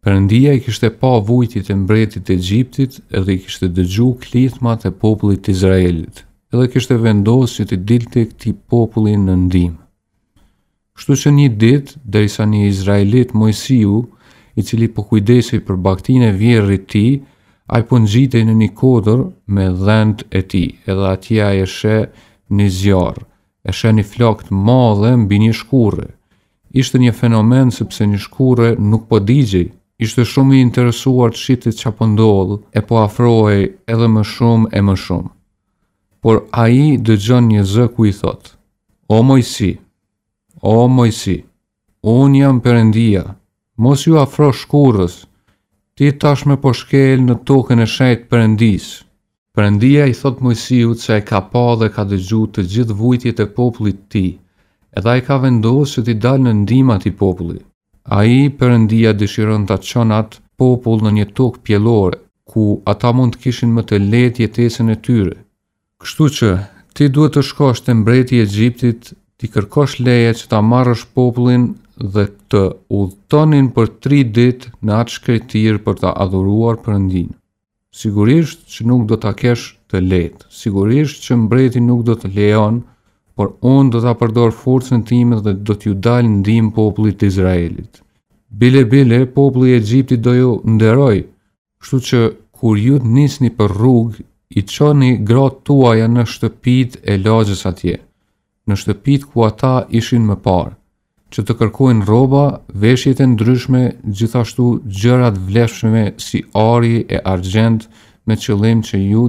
Perëndia i kishte pa vujtjet e mbretit të Egjiptit edhe i kishte dëgju klithmat e popullit të Izraelit, edhe kishte vendosë që t'i dilte këtij populli në ndihmë. Kështu që një ditë, derisa një izraelit Moisiu, i cili po kujdesej për bagëtinë e vjehrrit tij, ai po ngjitej në një kodër me dhentë e tij, edhe atje ai e sheh një zjarr, e sheh një flakë të madhe mbi një shkurre. Ishte një fenomen sepse një shkurre nuk po digjej. Ishte shumë i interesuar të shihte ça po ndodh e po afrohej edhe më shumë e më shumë. Por ai dëgjon një zë ku i thotë, O Moisi, o Moisi, unë jam Perëndia, mos iu afro shkurrës, ti tashmë po shkel në tokën e shenjtë të Perëndisë. Perëndia i thotë Moisiut se e ka pa dhe ka dëgju të gjithë vujtjet e popullit të tij, edhe ai ka vendosë që t'i dalë në ndihmë atij populli. Ai, Perëndia, dëshiron ta çon atë popull në një tokë pjellore, ku ata mund të kishin më të lehtë jetesën e tyre. Kështu që, ti duhet të shkosh te mbreti i Egjiptit, t'i kërkosh leje që ta marrësh popullin dhe të udhëtonin për tri ditë në atë shkretëtirë për ta adhuruar Perëndinë. Sigurisht që nuk do ta kesh të lehtë, sigurisht që mbreti nuk do të lejon, por unë do ta përdor forcën time dhe do t'ju dal ndihmë popullit të Izraelit. Bile bile, populli i Egjiptit do ju nderojë, Kështu që kur ju të nisni për rrugë, i çoni gratë tuaja në shtëpitë e lagjes atje, në shtëpitë ku ata ishin më parë, që të kërkojnë rroba, veshjet e ndryshme, gjithashtu gjëra të vlefshme si ari e argjend me qëllim që ju.